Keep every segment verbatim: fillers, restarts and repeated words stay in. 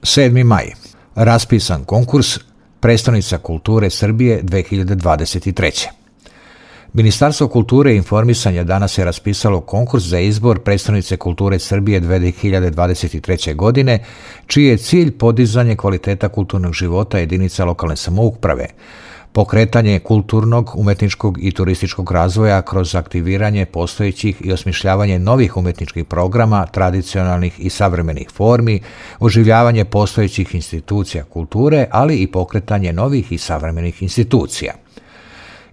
sedmi maj. Raspisan konkurs Prestonica kulture Srbije dve hiljade dvadeset treće. Ministarstvo kulture i informisanja danas je raspisalo konkurs za izbor Prestonice kulture Srbije dve hiljade dvadeset treće. godine, čiji je cilj podizanje kvaliteta kulturnog života jedinica lokalne samouprave, pokretanje kulturnog, umetničkog i turističkog razvoja kroz aktiviranje postojećih i osmišljavanje novih umetničkih programa, tradicionalnih i savremenih formi, oživljavanje postojećih institucija kulture, ali i pokretanje novih i savremenih institucija.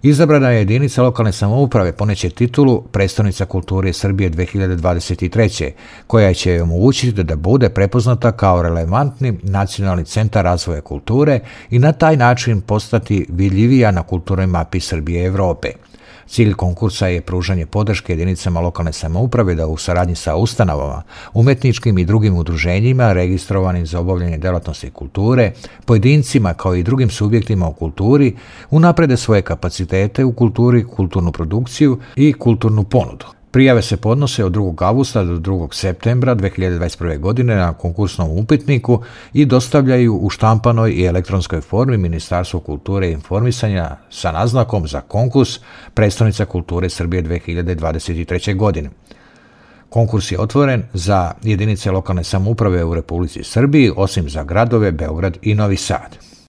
Izabrana je jedinica lokalne samouprave poneće titulu Prestonica kulture Srbije dve hiljade dvadeset treće. koja će joj omogućiti da bude prepoznata kao relevantni nacionalni centar razvoja kulture i na taj način postati vidljivija na kulturnoj mapi Srbije i Evrope. Cilj konkursa je pružanje podrške jedinicama lokalne samouprave da u saradnji sa ustanovama, umetničkim i drugim udruženjima registrovanim za obavljanje delatnosti kulture, pojedincima kao i drugim subjektima u kulturi unaprede svoje kapacitete u kulturi, kulturnu produkciju i kulturnu ponudu. Prijave se podnose od drugog avgusta do drugog septembra dve hiljade dvadeset prve. godine na konkursnom upitniku i dostavljaju u štampanoj i elektronskoj formi Ministarstvu kulture i informisanja sa naznakom za konkurs Prestonica kulture Srbije dve hiljade dvadeset treće. godine. Konkurs je otvoren za jedinice lokalne samouprave u Republici Srbiji, osim za gradove Beograd i Novi Sad.